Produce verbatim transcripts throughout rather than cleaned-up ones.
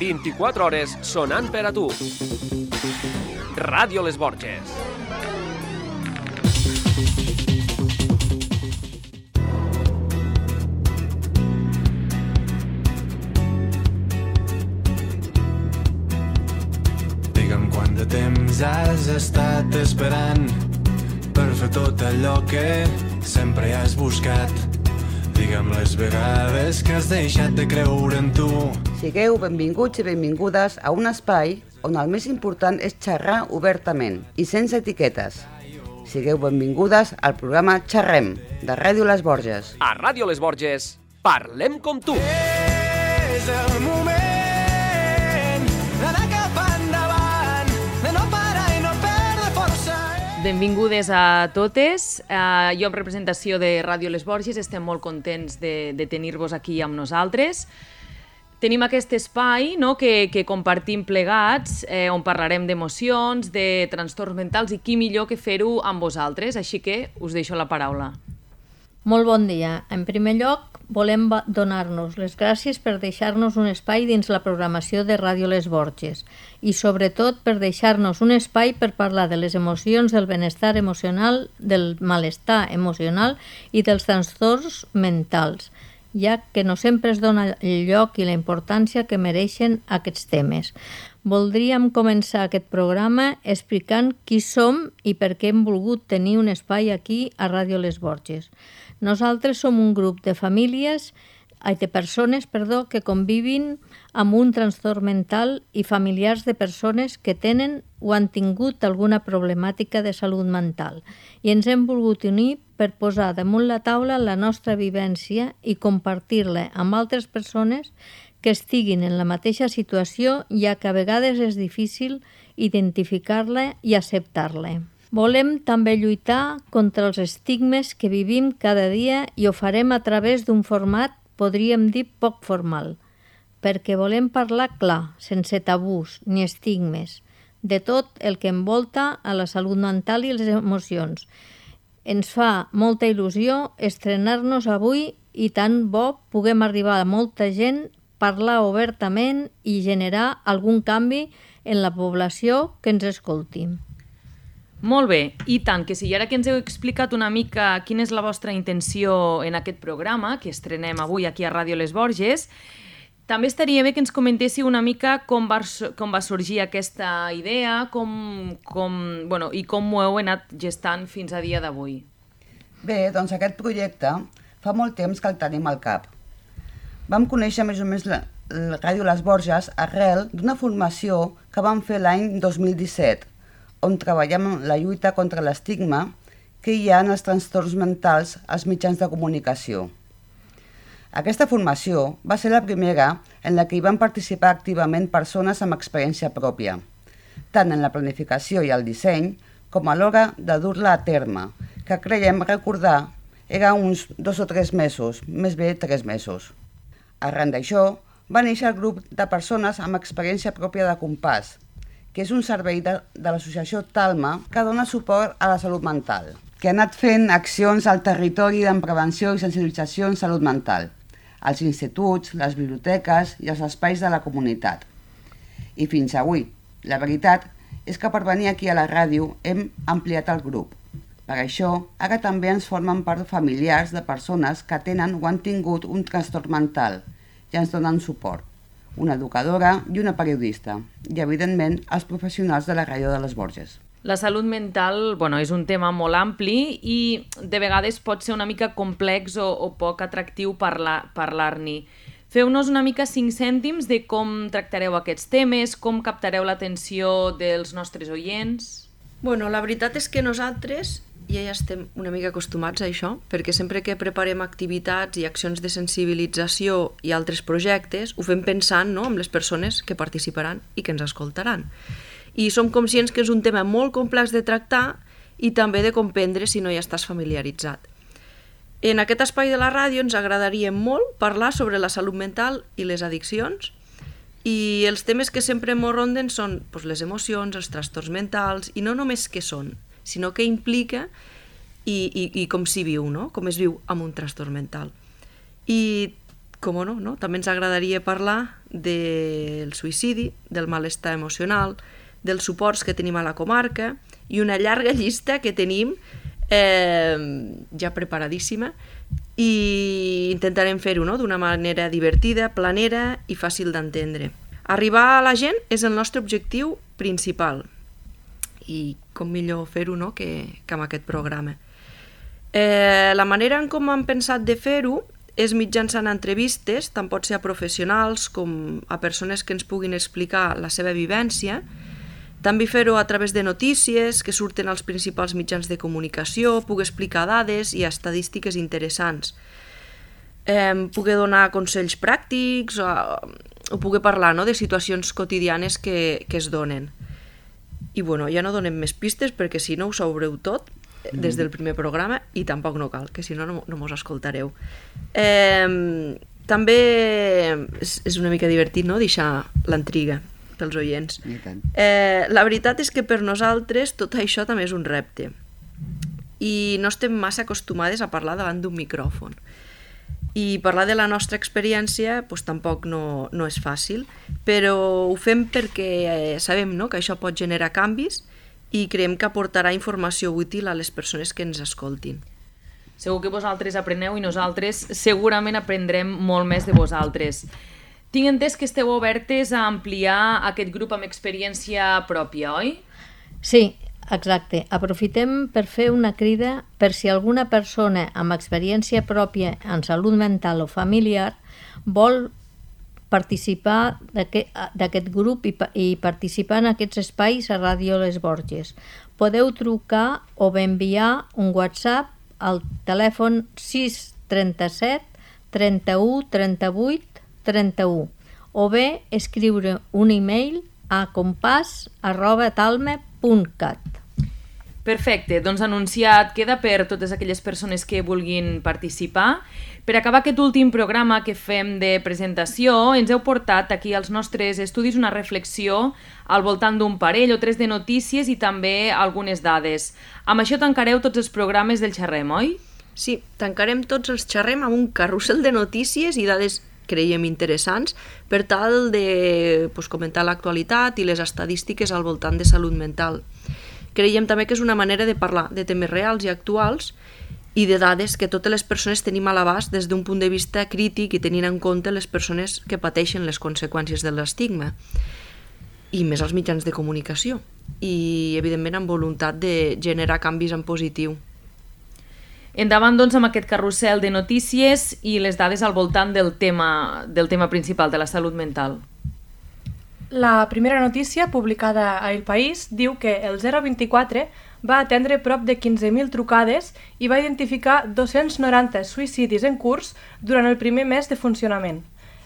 vint-i-quatre hores sonant per a tu. Ràdio Les Borges. Digue'm quant de temps has estat esperant per fer tot allò que sempre has buscat. Digue'm les vegades que has deixat de creure en tu. Sigueu benvinguts i benvingudes a un espai on el més important és xerrar obertament i sense etiquetes. Sigueu benvingudes al programa Xerrem, de Ràdio Les Borges. A Ràdio Les Borges, parlem com tu. És el moment d'anar cap endavant, de no parar i no perdre força. Benvingudes a totes. Uh, jo, en representació de Ràdio Les Borges, estem molt contents de, de tenir-vos aquí amb nosaltres. Tenim aquest espai, no?, que, que compartim plegats, eh, on parlarem d'emocions, de trastorns mentals, i qui millor que fer-ho amb vosaltres. Així que us deixo la paraula. Molt bon dia. En primer lloc, volem donar-nos les gràcies per deixar-nos un espai dins la programació de Ràdio Les Borges i, sobretot, per deixar-nos un espai per parlar de les emocions, del benestar emocional, del malestar emocional i dels trastorns mentals, ja que no sempre es dona el lloc i la importància que mereixen aquests temes. Voldríem començar aquest programa explicant qui som i per què hem volgut tenir un espai aquí a Ràdio Les Borges. Nosaltres som un grup de famílies, de persones, perdó, que convivin amb un trastorn mental i familiars de persones que tenen o han tingut alguna problemàtica de salut mental, i ens hem volgut unir per posar damunt la taula la nostra vivència i compartir-la amb altres persones que estiguin en la mateixa situació, ja que a vegades és difícil identificar-la i acceptar-la. Volem també lluitar contra els estigmes que vivim cada dia i ho farem a través d'un format, podríem dir, poc formal, perquè volem parlar clar, sense tabús ni estigmes, de tot el que envolta a la salut mental i les emocions. Ens fa molta il·lusió estrenar-nos avui i tant bo puguem arribar a molta gent, parlar obertament i generar algun canvi en la població que ens escolti. Molt bé, i tant, que si ara que ens heu explicat una mica quina és la vostra intenció en aquest programa, que estrenem avui aquí a Ràdio Les Borges, també estaria bé que ens comentéssiu una mica com va, com va sorgir aquesta idea, com, com, bueno, i com ho heu anat gestant fins a dia d'avui. Bé, doncs aquest projecte fa molt temps que el tenim al cap. Vam conèixer més o menys la, la Ràdio Les Borges arrel d'una formació que vam fer l'any dos mil disset, on treballem la lluita contra l'estigma que hi ha en els trastorns mentals als mitjans de comunicació. Aquesta formació va ser la primera en la que hi van participar activament persones amb experiència pròpia, tant en la planificació i el disseny com a l'hora de dur-la a terme, que creiem recordar era uns dos o tres mesos, més bé tres mesos. Arran d'això, va néixer el grup de persones amb experiència pròpia de Compàs, que és un servei de, de l'associació Talma que dona suport a la salut mental, que ha anat fent accions al territori en prevenció i sensibilització en salut mental, als instituts, les biblioteques i els espais de la comunitat. I fins avui, la veritat és que per venir aquí a la ràdio hem ampliat el grup. Per això, ara també ens formen part familiars de persones que tenen o han tingut un trastorn mental i ens donen suport. Una educadora i una periodista, i evidentment els professionals de la Ràdio de Les Borges. La salut mental, bueno, és un tema molt ampli i de vegades pot ser una mica complex o, o poc atractiu parlar, parlar-n'hi. Feu-nos una mica cinc cèntims de com tractareu aquests temes, com captareu l'atenció dels nostres oients. Bueno, la veritat és que nosaltres ja ja estem una mica acostumats a això, perquè sempre que preparem activitats i accions de sensibilització i altres projectes, ho fem pensant, no?, en les persones que participaran i que ens escoltaran. I som conscients que és un tema molt complex de tractar i també de comprendre si no hi estàs familiaritzat. En aquest espai de la ràdio ens agradaria molt parlar sobre la salut mental i les addiccions, i els temes que sempre ens ronden són doncs, les emocions, els trastorns mentals, i no només què són, sinó que implica i, i, i com s'hi viu, no? Com es viu amb un trastorn mental. I com no, no, també ens agradaria parlar del suïcidi, del malestar emocional, dels suports que tenim a la comarca i una llarga llista que tenim eh, ja preparadíssima i intentarem fer-ho no? D'una manera divertida, planera i fàcil d'entendre. Arribar a la gent és el nostre objectiu principal i com millor fer-ho no? que, que amb aquest programa. Eh, la manera en com hem pensat de fer-ho és mitjançant entrevistes, tant pot ser a professionals com a persones que ens puguin explicar la seva vivència, també fer-ho a través de notícies que surten als principals mitjans de comunicació, pugui explicar dades i estadístiques interessants, eh, pugui donar consells pràctics o, o pugui parlar no, de situacions quotidianes que, que es donen. I bueno, ja no donem més pistes perquè si no ho sabreu tot des del primer programa i tampoc no cal, que si no no, no mos escoltareu. Eh, també és, és una mica divertit no? Deixar l'intriga pels oients. Eh, la veritat és que per nosaltres tot això també és un repte i no estem massa acostumades a parlar davant d'un micròfon i parlar de la nostra experiència pues, tampoc no, no és fàcil, però ho fem perquè eh, sabem no? Que això pot generar canvis i creiem que aportarà informació útil a les persones que ens escoltin. Segur que vosaltres apreneu i nosaltres segurament aprendrem molt més de vosaltres. Tinc entès que esteu obertes a ampliar aquest grup amb experiència pròpia, oi? Sí, exacte. Aprofitem per fer una crida per si alguna persona amb experiència pròpia en salut mental o familiar vol participar d'aquest grup i, i participar en aquests espais a Ràdio Les Borges. Podeu trucar o bé enviar un WhatsApp al telèfon sis trenta-set trenta-u trenta-vuit trenta-u o bé escriure un e-mail a compàs arroba talme punt cat. Perfecte, doncs anunciat queda per totes aquelles persones que vulguin participar. Per acabar aquest últim programa que fem de presentació, ens heu portat aquí als nostres estudis una reflexió al voltant d'un parell o tres de notícies i també algunes dades. Amb això tancareu tots els programes del Xerrem, oi? Sí, tancarem tots els Xerrem amb un carrusel de notícies i dades creiem interessants per tal de pues, comentar l'actualitat i les estadístiques al voltant de salut mental. Creiem també que és una manera de parlar de temes reals i actuals i de dades que totes les persones tenim a l'abast des d'un punt de vista crític i tenint en compte les persones que pateixen les conseqüències de l'estigma i més als mitjans de comunicació i evidentment amb voluntat de generar canvis en positiu. Endavant doncs amb aquest carrusel de notícies i les dades al voltant del tema, del tema principal de la salut mental. La primera notícia, publicada a El País, diu que el zero vint-i-quatre va atendre prop de quinze mil trucades i va identificar dos-cents noranta suïcidis en curs durant el primer mes de funcionament.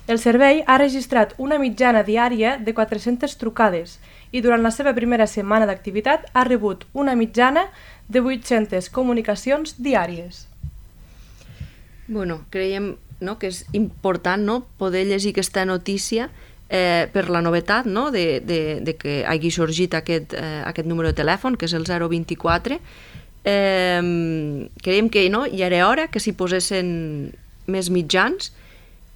El servei ha registrat una mitjana diària de quatre-centes trucades i durant la seva primera setmana d'activitat ha rebut una mitjana de vuit-centes comunicacions diàries. Bueno, creiem no, que és important no, poder llegir aquesta notícia Eh, per la novetat no, de, de, de que hagi sorgit aquest, eh, aquest número de telèfon, que és el zero vint-i-quatre. Eh, creiem que no, ja era hora que s'hi posessin més mitjans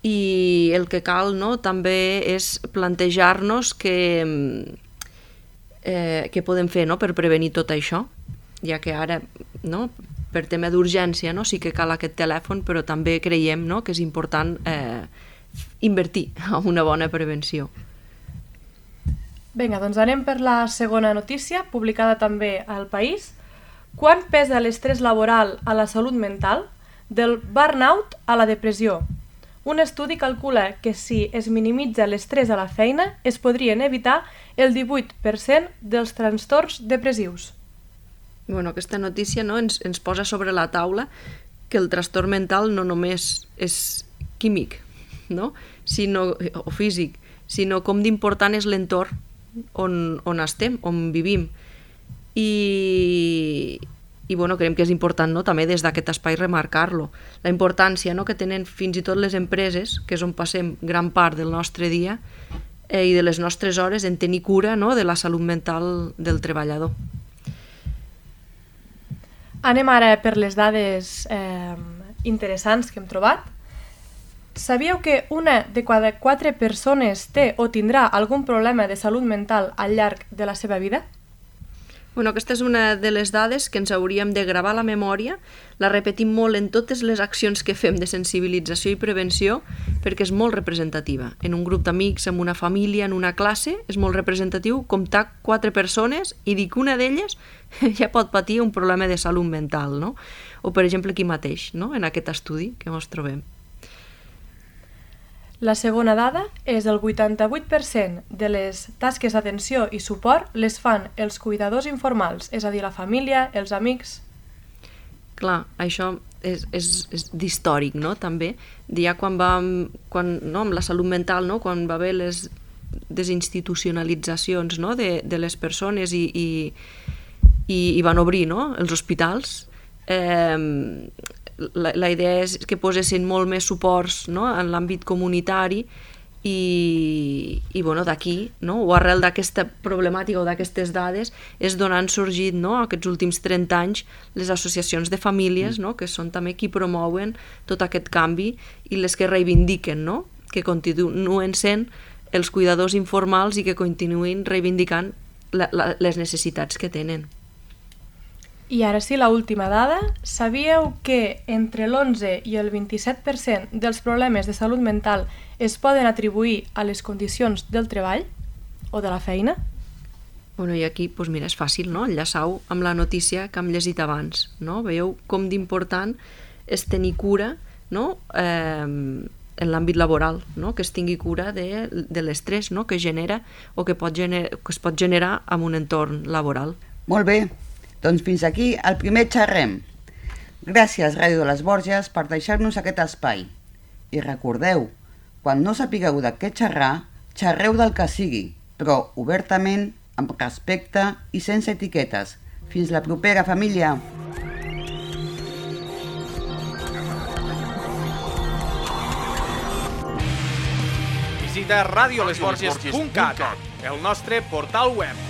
i el que cal no, també és plantejar-nos que, eh, què podem fer no, per prevenir tot això, ja que ara no, per tema d'urgència no, sí que cal aquest telèfon, però també creiem no, que és important eh, invertir en una bona prevenció. Vinga, doncs anem per la segona notícia, publicada també al País. Quan pesa l'estrès laboral a la salut mental? Del burnout a la depressió. Un estudi calcula que si es minimitza l'estrès a la feina, es podrien evitar el divuit per cent dels trastorns depressius. Bueno, aquesta notícia no, ens, ens posa sobre la taula que el trastorn mental no només és químic, no? sinó, o físic, sinó com d'important és l'entorn on, on estem, on vivim. I, i bueno, creiem que és important no? també des d'aquest espai remarcar-lo. La importància no? que tenen fins i tot les empreses, que és on passem gran part del nostre dia eh, i de les nostres hores en tenir cura no? de la salut mental del treballador. Anem ara per les dades eh, interessants que hem trobat. Sabíeu que una de cada quatre persones té o tindrà algun problema de salut mental al llarg de la seva vida? Bueno, aquesta és una de les dades que ens hauríem de gravar a la memòria, la repetim molt en totes les accions que fem de sensibilització i prevenció perquè és molt representativa. En un grup d'amics, en una família, en una classe, és molt representatiu comptar quatre persones i dir que una d'elles ja pot patir un problema de salut mental, no? O, per exemple, aquí mateix, no? En aquest estudi que ens trobem. La segona dada és el vuitanta-vuit per cent de les tasques d'atenció i suport les fan els cuidadors informals, és a dir, la família, els amics. Clar, això és, és, és d'històric, no?, també. Ja quan va, quan, no, amb la salut mental, no?, quan va haver les desinstitucionalitzacions, no?, de, de les persones i, i, i, i van obrir, no?, els hospitals, eh, La, la idea és que posessin molt més suports, no?, en l'àmbit comunitari i, i bueno, d'aquí, no?, o arrel d'aquesta problemàtica o d'aquestes dades és d'on han sorgit, no?, aquests últims trenta anys les associacions de famílies, no?, que són també qui promouen tot aquest canvi i les que reivindiquen, no?, que continuen sent els cuidadors informals i que continuïn reivindicant la, la, les necessitats que tenen. I ara sí, la última dada. Sabíeu que entre l'onze i el vint-i-set per cent dels problemes de salut mental es poden atribuir a les condicions del treball o de la feina? Bueno, i aquí, doncs mira, és fàcil, no?, enllaçar-ho amb la notícia que hem llegit abans, no? Veieu com d'important és tenir cura, no?, eh, en l'àmbit laboral, no?, que es tingui cura de, de l'estrès, no?, que genera o que, pot gener, que es pot generar en un entorn laboral. Molt bé. Doncs fins aquí el primer xerrem. Gràcies, Ràdio de les Borges, per deixar-nos aquest espai. I recordeu, quan no sapigueu de què xerrar, xerreu del que sigui, però obertament, amb respecte i sense etiquetes. Fins la propera, família! Visita radio les borges punt cat, el nostre portal web.